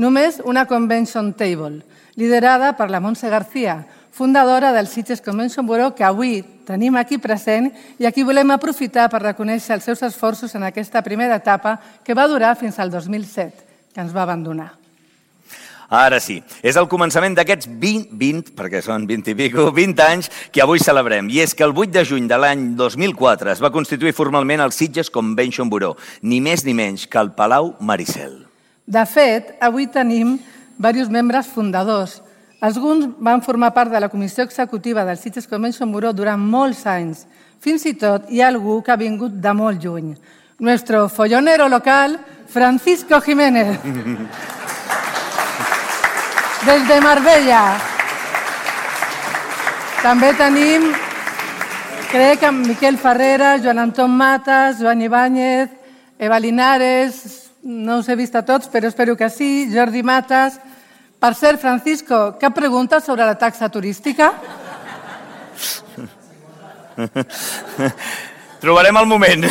Només una Convention Table, liderada per la Montse García, fundadora del Sitges Convention Bureau, que avui tenim aquí present i aquí volem aprofitar per reconèixer els seus esforços en aquesta primera etapa que va durar fins al dos mil set, que ens va abandonar. Ara sí, és el començament d'aquests vint, vint, perquè són vint i pico, vint anys que avui celebrem. I és que el vuit de juny de l'any dos mil quatre es va constituir formalment el Sitges Convention Bureau, ni més ni menys que el Palau Maricel. De fet, avui tenim diversos membres fundadors. Alguns van formar part de la comissió executiva del Sitges Convention Bureau durant molts anys. Fins i tot hi ha algú que ha vingut de molt lluny. Nuestro follonero local, Francisco Jiménez. Des de Marbella. També tenim, crec que Miquel Ferrera, Joan Anton Matas, Joan Ibáñez, Eva Linares, no us he vist a tots, però espero que sí, Jordi Matas. Per cert, Francisco, cap pregunta sobre la taxa turística? Trobarem el moment.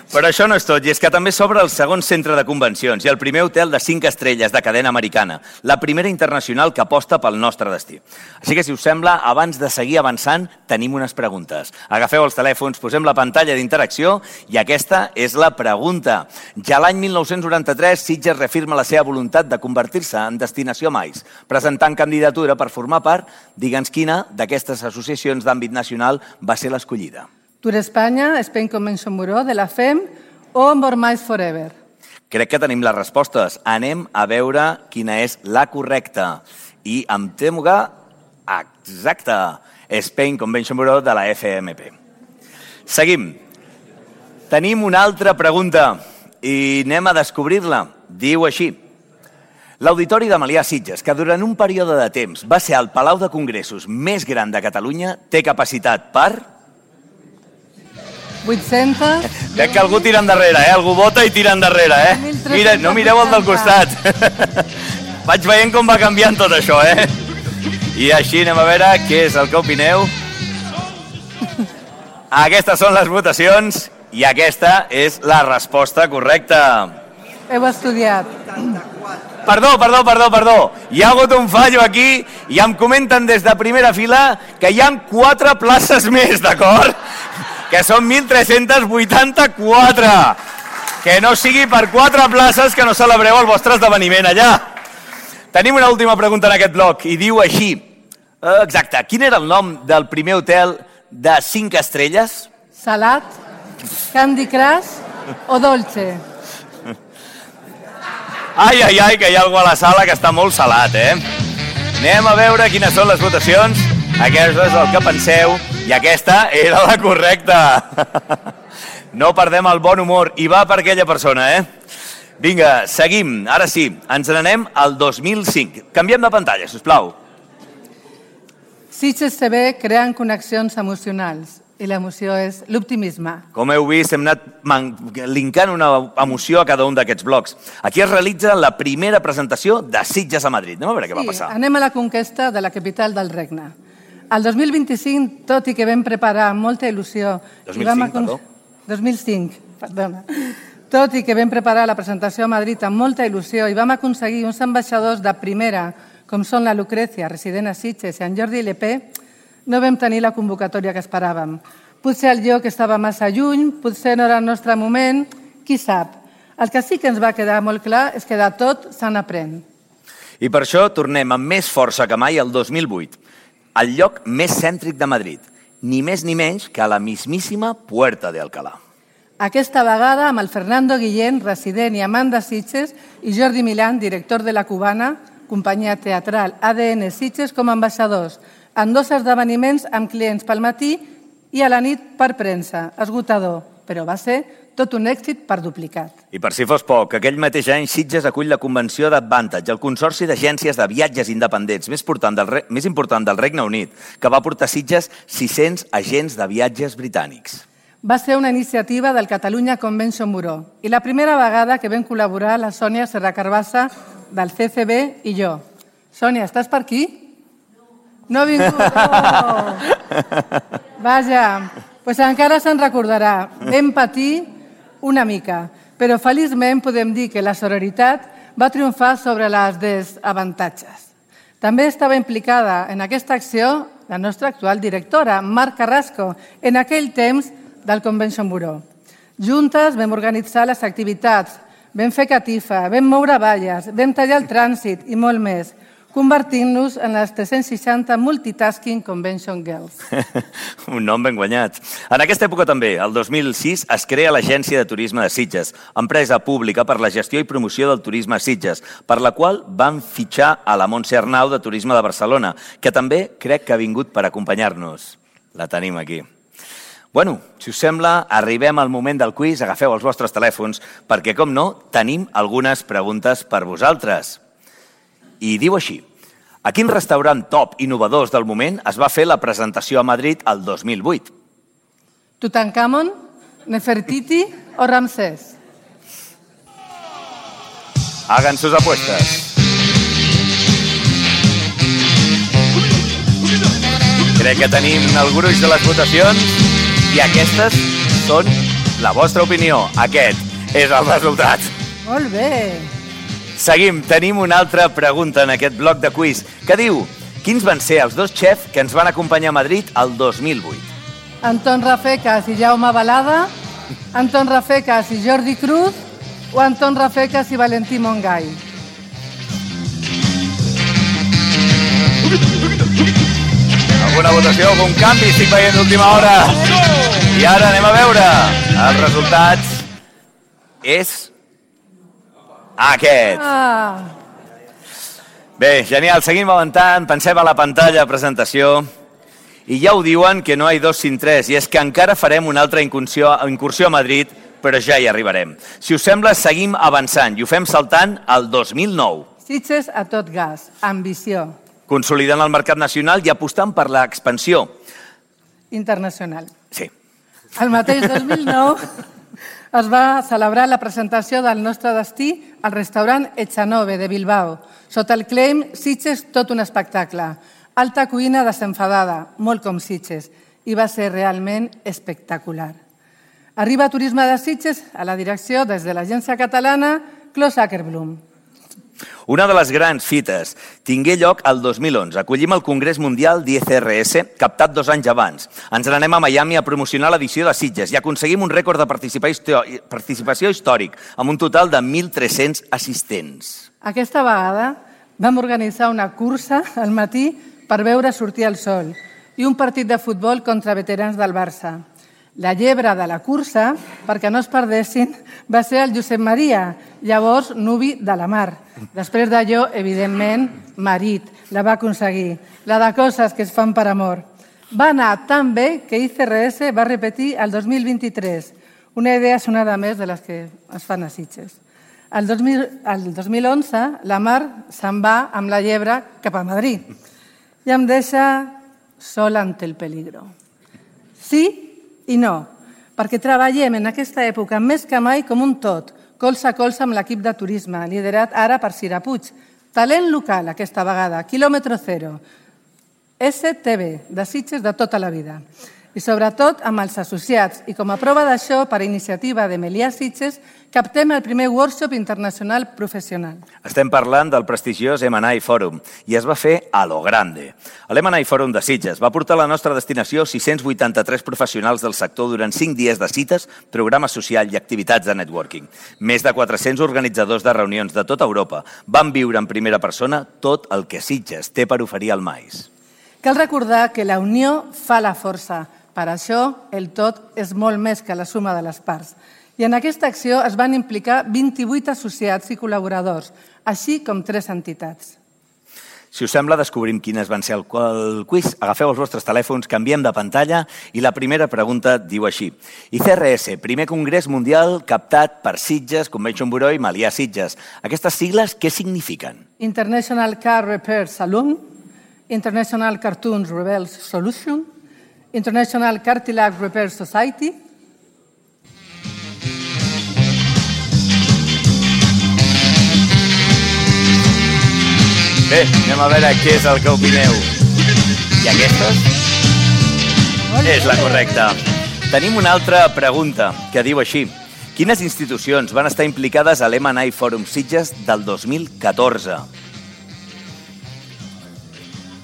Però això no és tot, i és que també s'obre el segon centre de convencions i el primer hotel de cinc estrelles de cadena americana, la primera internacional que aposta pel nostre destí. Així que, si us sembla, abans de seguir avançant, tenim unes preguntes. Agafeu els telèfons, posem la pantalla d'interacció i aquesta és la pregunta. Ja l'any mil nou-cents noranta-tres, Sitges reafirma la seva voluntat de convertir-se en destinació mais, presentant candidatura per formar part, digue'ns quina, d'aquestes associacions d'àmbit nacional va ser l'escollida. Tour Espanya, Spain Convention Bureau, de la F E M o More Mais Forever? Crec que tenim les respostes. Anem a veure quina és la correcta. I em temo que... Exacte! Spain Convention Bureau de la F M P. Seguim. Tenim una altra pregunta i anem a descobrir-la. Diu així. L'Auditori de Melià Sitges, que durant un període de temps va ser el Palau de Congressos més gran de Catalunya, té capacitat per... vuit-cents... Veig que algú tira endarrere, eh? Algú vota i tira endarrere, eh? Mira, no mireu el del costat. Vaig veient com va canviant tot això, eh? I així anem a veure què és el que opineu. Aquestes són les votacions i aquesta és la resposta correcta. Heu estudiat. Perdó, perdó, perdó, perdó. Hi ha hagut un fallo aquí i em comenten des de primera fila que hi ha quatre places més, d'acord? Que són mil tres-cents vuitanta-quatre. Que no sigui per quatre places que no celebreu el vostre esdeveniment allà. Tenim una última pregunta en aquest bloc i diu així. Exacte, quin era el nom del primer hotel de cinc estrelles? Salat, Candy Crush o Dolce? Ai, ai, ai, que hi ha algú a la sala que està molt salat, eh? Anem a veure quines són les votacions. Aquesta és el que penseu i aquesta era la correcta. No perdem el bon humor i va per aquella persona, eh? Vinga, seguim. Ara sí, ens n'anem al dos mil cinc. Canviem de pantalla, sisplau. Sitges T V creen connexions emocionals i l'emoció és l'optimisme. Com heu vist, hem anat linkant una emoció a cada un d'aquests blocs. Aquí es realitza la primera presentació de Sitges a Madrid. Anem a veure què va passar. Sí, anem a la conquesta de la capital del regne. El dos mil vint-i-cinc, tot i que vam preparar amb molta il·lusió... dos mil cinc, perdó. dos mil cinc, perdona. Tot i que vam preparar la presentació a Madrid amb molta il·lusió i vam aconseguir uns ambaixadors de primera, com són la Lucrecia, resident a Sitges, i en Jordi Lepé, no vam tenir la convocatòria que esperàvem. Potser el lloc estava massa lluny, potser no era el nostre moment, qui sap. El que sí que ens va quedar molt clar és que de tot se n'aprèn. I per això tornem amb més força que mai al dos mil vuit, al lloc més cèntric de Madrid, ni més ni menys que a la mismíssima Puerta de Alcalá. Aquesta vegada amb el Fernando Guillén, resident i amant de Sitges, i Jordi Milán, director de la Cubana, companyia teatral A D N Sitges, com a ambaixadors, en dos esdeveniments amb clients pel matí i a la nit per premsa. Esgotador, però va ser tot un èxit per duplicat. I per si fos poc, aquell mateix any Sitges acull la convenció d'Advantage, el consorci d'agències de viatges independents més important, del Re... més important del Regne Unit, que va portar a Sitges sis-cents agents de viatges britànics. Va ser una iniciativa del Catalunya Convention Bureau i la primera vegada que vam col·laborar la Sònia Serra Carbassa del C C B i jo. Sònia, estàs per aquí? No ha vingut. Oh. Vaja, doncs encara se'n recordarà. Vam patir una mica, però feliçment podem dir que la sororitat va triomfar sobre les desavantatges. També estava implicada en aquesta acció la nostra actual directora, Mar Carrasco, en aquell temps del Convention Bureau. Juntes vam organitzar les activitats, vam fer catifa, vam moure valles, vam tallar el trànsit i molt més, convertint-nos en les tres-cents seixanta Multitasking Convention Girls. Un nom ben guanyat. En aquesta època també, el dos mil sis, es crea l'Agència de Turisme de Sitges, empresa pública per la gestió i promoció del turisme a Sitges, per la qual van fitxar a la Montse Arnau de Turisme de Barcelona, que també crec que ha vingut per acompanyar-nos. La tenim aquí. Bueno, si us sembla, arribem al moment del quiz, agafeu els vostres telèfons, perquè, com no, tenim algunes preguntes per vosaltres. I diu així, a quin restaurant top innovadors del moment es va fer la presentació a Madrid el dos mil vuit? Tutankamon, Nefertiti o Ramsès? Hagan sus apuestas. Crec que tenim el gruix de les votacions i aquestes són la vostra opinió. Aquest és el resultat. Molt bé. Seguim, tenim una altra pregunta en aquest bloc de quiz que diu, quins van ser els dos xefs que ens van acompanyar a Madrid el dos mil vuit? Anton Rafecas i Jaume Balada, Anton Rafecas i Jordi Cruz o Anton Rafecas i Valentí Montgai? Alguna votació, algun canvi? Estic veient d'última hora. I ara anem a veure. Els resultats és aquest. Ah. Bé, genial, seguim avançant, pensem a la pantalla, presentació, i ja ho diuen que no hi ha dos sin tres, i és que encara farem una altra incursió, incursió a Madrid, però ja hi arribarem. Si us sembla, seguim avançant i ho fem saltant al dos mil nou. Sitges a tot gas, ambició. Consolidant el mercat nacional i apostant per l'expansió. Internacional. Sí. El mateix dos mil nou es va celebrar la presentació del nostre destí al restaurant Echanove de Bilbao, sota el claim Sitges tot un espectacle, Alta cuina desenfadada, molt com Sitges, i va ser realment espectacular. Arriba Turisme de Sitges a la direcció des de l'agència catalana Clos Ackerblum. Una de les grans fites tingué lloc el dos mil onze. Acollim el Congrés Mundial d'I C R S, captat dos anys abans. Ens n'anem a Miami a promocionar l'edició de Sitges i aconseguim un rècord de participació històric, amb un total de mil tres-cents assistents. Aquesta vegada vam organitzar una cursa al matí per veure sortir el sol i un partit de futbol contra veterans del Barça. La llebre de la cursa, perquè no es perdessin, va ser el Josep Maria, llavors nuvi de la Mar. Després d'allò, evidentment, marit, la va aconseguir. La de coses que es fan per amor. Va anar tan bé que I C R S va repetir el dos mil vint-i-tres, una idea sonada més de les que es fan a Sitges. El dos mil onze, la Mar se'n va amb la llebre cap a Madrid i em deixa sol ante el peligro. Sí i no, perquè treballem en aquesta època més que mai com un tot, colze a colze amb l'equip de turisme, liderat ara per Cira Puig. Talent local aquesta vegada, quilòmetre zero. S T V, de Sitges de tota la vida. I sobretot amb els associats. I com a prova d'això, per iniciativa de Melià Sitges, captem el primer workshop internacional professional. Estem parlant del prestigiós M and I Forum i es va fer a lo grande. L'M and I Forum de Sitges va portar a la nostra destinació sis-cents vuitanta-tres professionals del sector durant cinc dies de cites, programa social i activitats de networking. Més de quatre-cents organitzadors de reunions de tota Europa van viure en primera persona tot el que Sitges té per oferir al maïs. Cal recordar que la unió fa la força. Per això, el tot és molt més que la suma de les parts. I en aquesta acció es van implicar vint-i-vuit associats i col·laboradors, així com tres entitats. Si us sembla, descobrim quines van ser el quiz. Agafeu els vostres telèfons, canviem de pantalla i la primera pregunta diu així. I C R S, primer congrés mundial captat per Sitges, Convention Bureau i Melià Sitges. Aquestes sigles què signifiquen? International Car Repair Saloon, International Cartoons Rebels Solution, International Cartilage Repair Society. Bé, anem a veure què és el que opineu. I aquestes? És la correcta. Tenim una altra pregunta que diu així. Quines institucions van estar implicades a l'M and I Forum Sitges del dos mil catorze?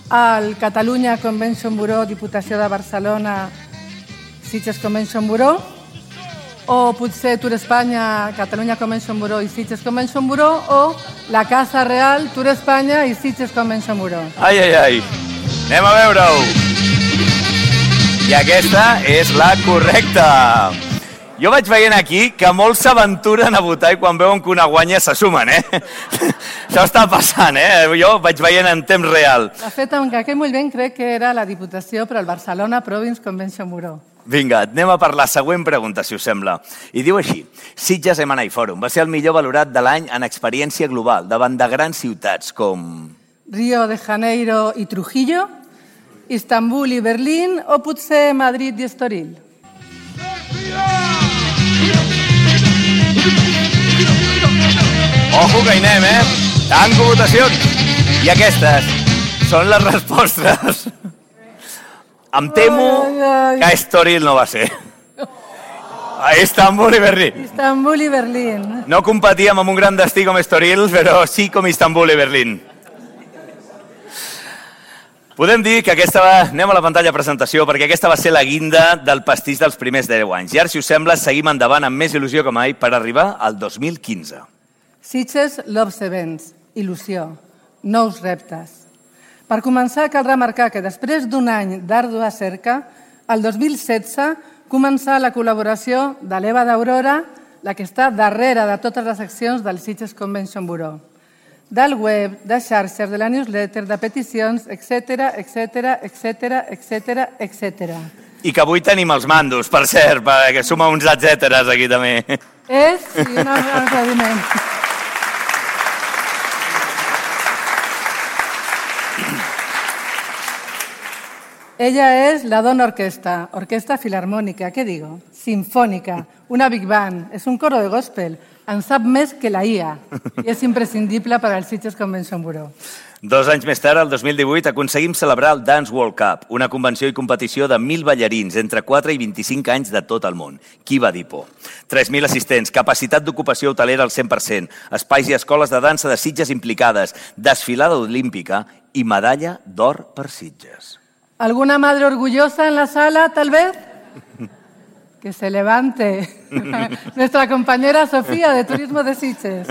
El Catalunya Convention Bureau, Diputació de Barcelona, Sitges Convention Bureau, o potser Tour Espanya, Catalunya Convention Bureau i Sitges Convention Bureau, o la Casa Real, Tour Espanya i Sitges Convention Bureau. Ai, ai, ai. Anem a veure-ho. I aquesta és la correcta. Jo vaig veient aquí que molts s'aventuren a votar i quan veuen que una guanya se sumen, eh? Això està passant, eh? Jo vaig veient en temps real. De fet, en aquell moment crec que era la Diputació, però el Barcelona Province Convention Bureau. Vinga, anem a per la següent pregunta, si us sembla. I diu així. Sitges M and I Forum va ser el millor valorat de l'any en experiència global davant de grans ciutats com Rio de Janeiro i Trujillo, Istanbul i Berlín, o potser Madrid i Estoril. Ojo que hi anem, eh? Tanco votacions. I aquestes són les respostes. Em temo que Estoril no va ser. Istanbul i Berlín. Istanbul i Berlín. No competíem amb un gran destí com Estoril, però sí com Istanbul i Berlín. Podem dir que aquesta va... Anem a la pantalla de presentació, perquè aquesta va ser la guinda del pastís dels primers deu anys. I ara, si us sembla, seguim endavant amb més il·lusió que mai per arribar al dos mil quinze. Sitges Loves Events, il·lusió, nous reptes. Per començar, cal remarcar que després d'un any d'àrdua cerca, el dos mil setze començà la col·laboració de l'Eva d'Aurora, la que està darrere de totes les accions del Sitges Convention Bureau. Del web, de xarxes, de la newsletter, de peticions, etcètera, etcètera, etcètera, etcètera, etcètera. I que avui tenim els mandos, per cert, perquè suma uns etcèteres aquí també. És, sí, un aplaudiment. Ella és la Dona Orquesta, orquesta filarmònica, què digo? Sinfònica, una big band, és un coro de gospel, en sap més que la I A i és imprescindible per al Sitges Convention Bureau. Dos anys més tard, el dos mil divuit, aconseguim celebrar el Dance World Cup, una convenció i competició de mil ballarins entre quatre i vint-i-cinc anys de tot el món. Qui va dir por? tres mil assistents, capacitat d'ocupació hotelera al cent per cent, espais i escoles de dansa de Sitges implicades, desfilada olímpica i medalla d'or per Sitges. ¿Alguna madre orgullosa en la sala, tal vez? Que se levante. Nuestra compañera Sofía, de Turismo de Sitges.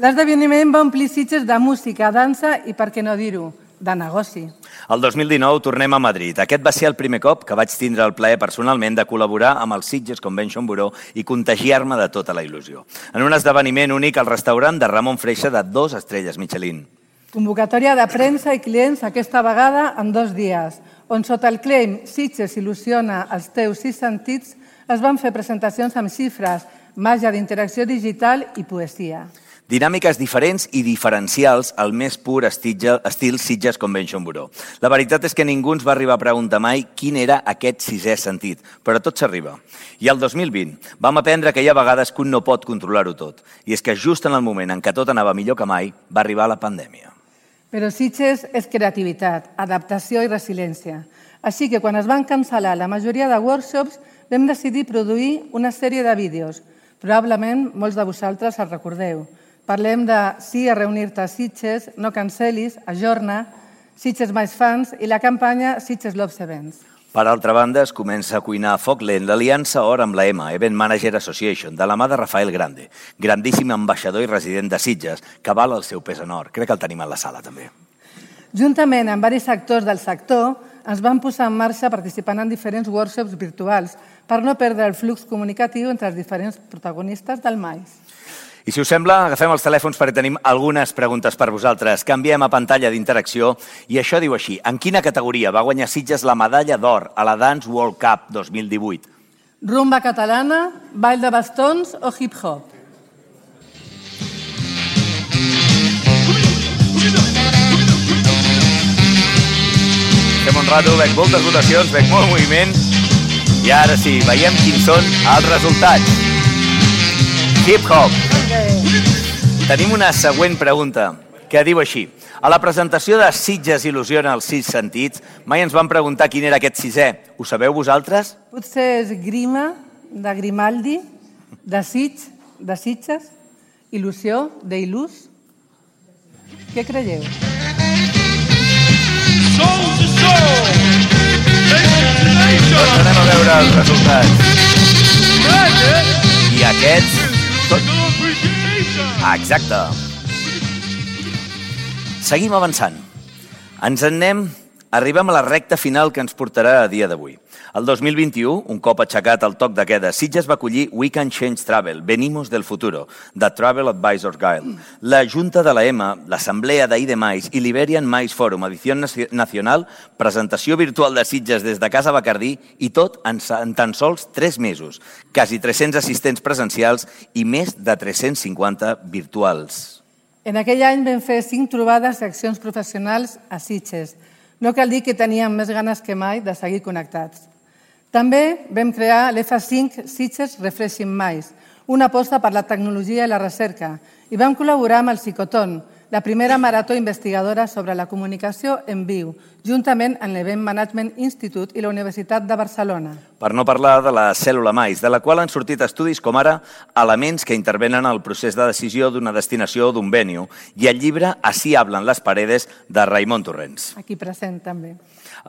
L'esdeveniment va omplir Sitges de música, dansa i, per què no dir-ho, de negoci. El dos mil dinou tornem a Madrid. Aquest va ser el primer cop que vaig tindre el plaer personalment de col·laborar amb el Sitges Convention Bureau i contagiar-me de tota la il·lusió. En un esdeveniment únic al restaurant de Ramon Freixa de dos estrelles Michelin. Convocatòria de premsa i clients aquesta vegada en dos dies, on sota el claim Sitges il·lusiona els teus sis sentits es van fer presentacions amb xifres, màgia d'interacció digital i poesia. Dinàmiques diferents i diferencials al més pur estil Sitges Convention Bureau. La veritat és que ningú ens va arribar a preguntar mai quin era aquest sisè sentit, però tot s'arriba. I el dos mil vint vam aprendre que hi ha vegades que un no pot controlar-ho tot, i és que just en el moment en què tot anava millor que mai, va arribar la pandèmia. Però Sitges és creativitat, adaptació i resiliència. Així que quan es van cancel·lar la majoria de workshops, vam decidir produir una sèrie de vídeos. Probablement molts de vosaltres els recordeu. Parlem de sí a reunir-te a Sitges, no cancel·lis, ajorna, Sitges més fans i la campanya Sitges Loves Events. Per altra banda, es comença a cuinar a foc lent l'aliança Or amb la E M A, Event Manager Association, de la mà de Rafael Grande, grandíssim ambaixador i resident de Sitges, que val el seu pes en or. Crec que el tenim a la sala, també. Juntament amb diversos actors del sector, ens vam posar en marxa participant en diferents workshops virtuals per no perdre el flux comunicatiu entre els diferents protagonistes del maïs. I si us sembla, agafem els telèfons perquè tenim algunes preguntes per vosaltres. Canviem a pantalla d'interacció i això diu així. En quina categoria va guanyar Sitges la medalla d'or a la Dance World Cup dos mil divuit? Rumba catalana, ball de bastons o hip-hop? Fem un rato, veig moltes votacions, veig molt moviment. I ara sí, veiem quins són els resultats. Hip-hop. Tenim una següent pregunta, que diu així. A la presentació de Sitges il·lusiona els sis sentits, mai ens van preguntar quin era aquest sisè. Ho sabeu vosaltres? Potser és Grima, de Grimaldi, de Sitges, de Sitges, Il·lusió, d'Il·lus. Què creieu? Doncs anem a veure els resultats. I aquests... Tot... Exacte. Seguim avançant. Ens en anem, arribem a la recta final que ens portarà a dia d'avui. El dos mil vint-i-u, un cop aixecat el toc de queda, Sitges va acollir We Can Change Travel, Venimos del Futuro, de Travel Advisors Guild. La Junta de la E M A, l'Assemblea d'I D Mais i l'Iberian Mais Forum, edició nacional, presentació virtual de Sitges des de Casa Bacardí i tot en, en tan sols tres mesos. Quasi tres-cents assistents presencials i més de tres-cents cinquanta virtuals. En aquell any vam fer cinc trobades i accions professionals a Sitges. No cal dir que teníem més ganes que mai de seguir connectats. També vam crear l'F cinc Sitges Refreshing Mais, una aposta per la tecnologia i la recerca, i vam col·laborar amb el Psicotón, la primera marató investigadora sobre la comunicació en viu, juntament amb l'Event Management Institute i la Universitat de Barcelona. Per no parlar de la cèl·lula Mais, de la qual han sortit estudis com ara elements que intervenen al procés de decisió d'una destinació o d'un venue, i el llibre Así hablan las paredes, de Raimon Torrents. Aquí present també.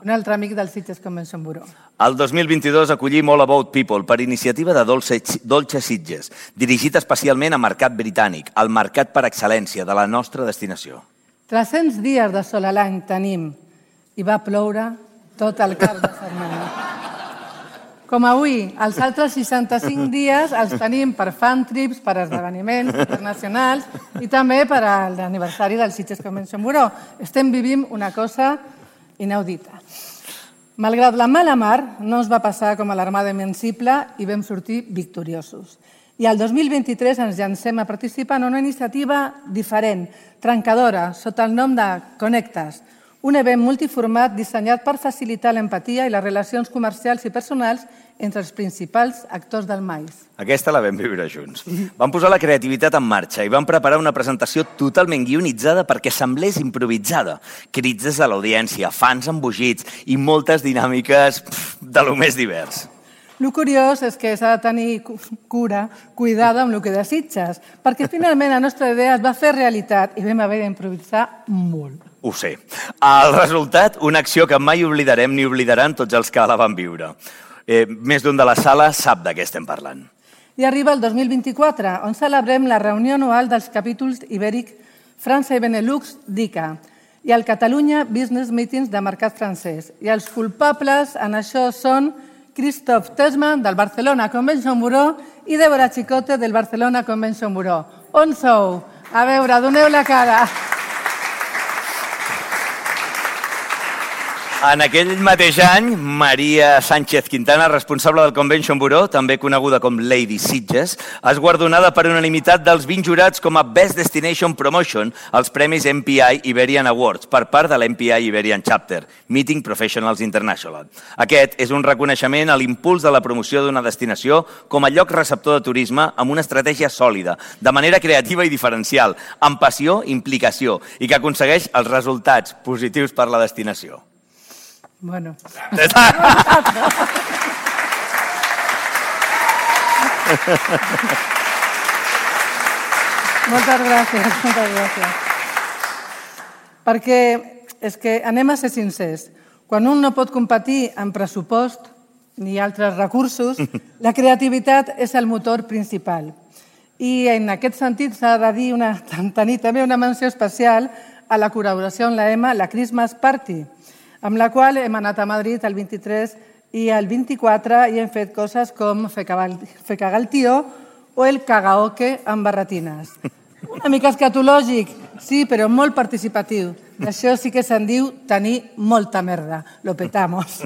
Un altre amic del Sitges Convention Bureau. El dos mil vint-i-dos acollim All About People per iniciativa de Dolce, Dolce Sitges, dirigit especialment a mercat britànic, el mercat per excel·lència de la nostra destinació. tres-cents dies de sol a l'any tenim i va ploure tot el cap de setmana. Com avui, els altres seixanta-cinc dies els tenim per fan trips, per esdeveniments internacionals i també per a l'aniversari del Sitges Convention Bureau. Estem vivint una cosa inaudita. Malgrat la mala mar, no ens va passar com a l'Armada Invencible i vam sortir victoriosos. I el dos mil vint-i-tres ens llancem a participar en una iniciativa diferent, trencadora, sota el nom de Connectes, un event multiformat dissenyat per facilitar l'empatia i les relacions comercials i personals entre els principals actors del maïs. Aquesta la vam viure junts. Vam posar la creativitat en marxa i vam preparar una presentació totalment guionitzada perquè semblés improvisada. Crits des de l'audiència, fans embogits i moltes dinàmiques pff, de lo més divers. El curiós és que s'ha de tenir cura, cuidada amb el que desitges, perquè finalment la nostra idea es va fer realitat i vam haver d'improvisar molt. Ho sé. El resultat, una acció que mai oblidarem ni oblidaran tots els que la van viure. Eh, més d'un de la sala sap de què estem parlant. I arriba el dos mil vint-i-quatre, on celebrem la reunió anual dels capítols ibèric França i Benelux d'I C A i el Catalunya Business Meetings de mercat francès. I els culpables en això són Christophe Tesman, del Barcelona Convention Bureau, i Débora Chicote, del Barcelona Convention Bureau. On sou? A veure, doneu la cara. En aquell mateix any, Maria Sánchez Quintana, responsable del Convention Bureau, també coneguda com Lady Sitges, és guardonada per unanimitat dels vint jurats com a Best Destination Promotion als premis M P I Iberian Awards per part de l'M P I Iberian Chapter, Meeting Professionals International. Aquest és un reconeixement a l'impuls de la promoció d'una destinació com a lloc receptor de turisme amb una estratègia sòlida, de manera creativa i diferencial, amb passió i implicació, i que aconsegueix els resultats positius per la destinació. Bueno. Moltes gràcies, moltes gràcies. Perquè és que anem a ser sincers. Quan un no pot competir en pressupost ni altres recursos, la creativitat és el motor principal. I en aquest sentit s'ha de dir una, tenir també una menció especial a la col·laboració amb la E M A, la Christmas Party, amb la qual hem anat a Madrid el vint-i-tres i el vint-i-quatre i hem fet coses com fer cagar el tio o el karaoke amb barretines. Una mica escatològic, sí, però molt participatiu. Això sí que se'n diu tenir molta merda. Lo petamos.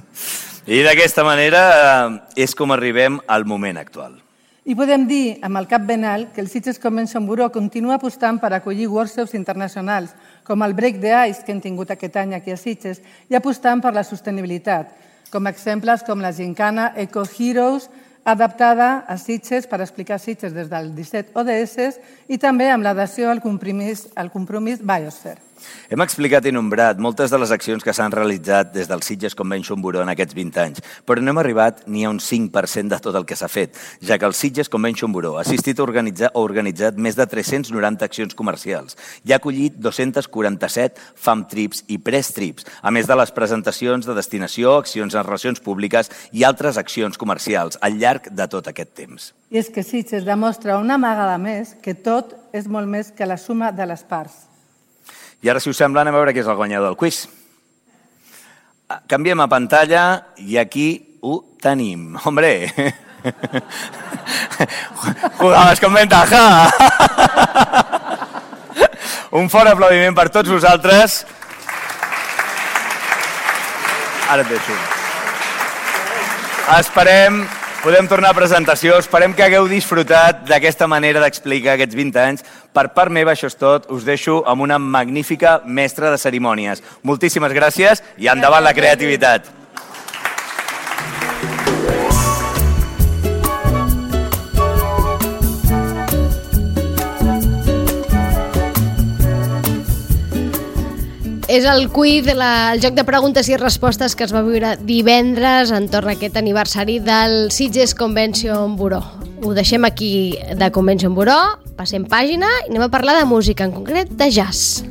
I d'aquesta manera és com arribem al moment actual. I podem dir, amb el cap ben alt, que el Sitges Convention Bureau continua apostant per acollir workshops internacionals, com el Break the Ice, que hem tingut aquest any aquí a Sitges, i apostant per la sostenibilitat, com exemples com la gincana Eco Heroes, adaptada a Sitges per explicar Sitges des del disset O D S i també amb l'adhesió al compromís, al compromís Biosphere. Hem explicat i nombrat moltes de les accions que s'han realitzat des del Sitges Convention Bureau en aquests vint anys, però no hem arribat ni a un cinc per cent de tot el que s'ha fet, ja que el Sitges Convention Bureau ha assistit a organitzar o organitzat més de tres-cents noranta accions comercials i ha acollit dos-cents quaranta-set Fam Trips i Press Trips, a més de les presentacions de destinació, accions en relacions públiques i altres accions comercials al llarg de tot aquest temps. I és que Sitges demostra una vegada més que tot és molt més que la suma de les parts. I ara, si us sembla, anem a veure qui és el guanyador del quiz. Canviem a pantalla i aquí ho tenim. Hombre! Jugabas con ventaja! Un fort aplaudiment per tots vosaltres. Ara et deixo. Esperem... Podem tornar a presentació. Esperem que hagueu disfrutat d'aquesta manera d'explicar aquests vint anys. Per part meva, això és tot. Us deixo amb una magnífica mestra de cerimònies. Moltíssimes gràcies i endavant la creativitat. És el quiz, la, el joc de preguntes i respostes que es va viure divendres entorn a aquest aniversari del Sitges Convention Bureau. Ho deixem aquí de Convention Bureau, passem pàgina i anem a parlar de música, en concret de jazz.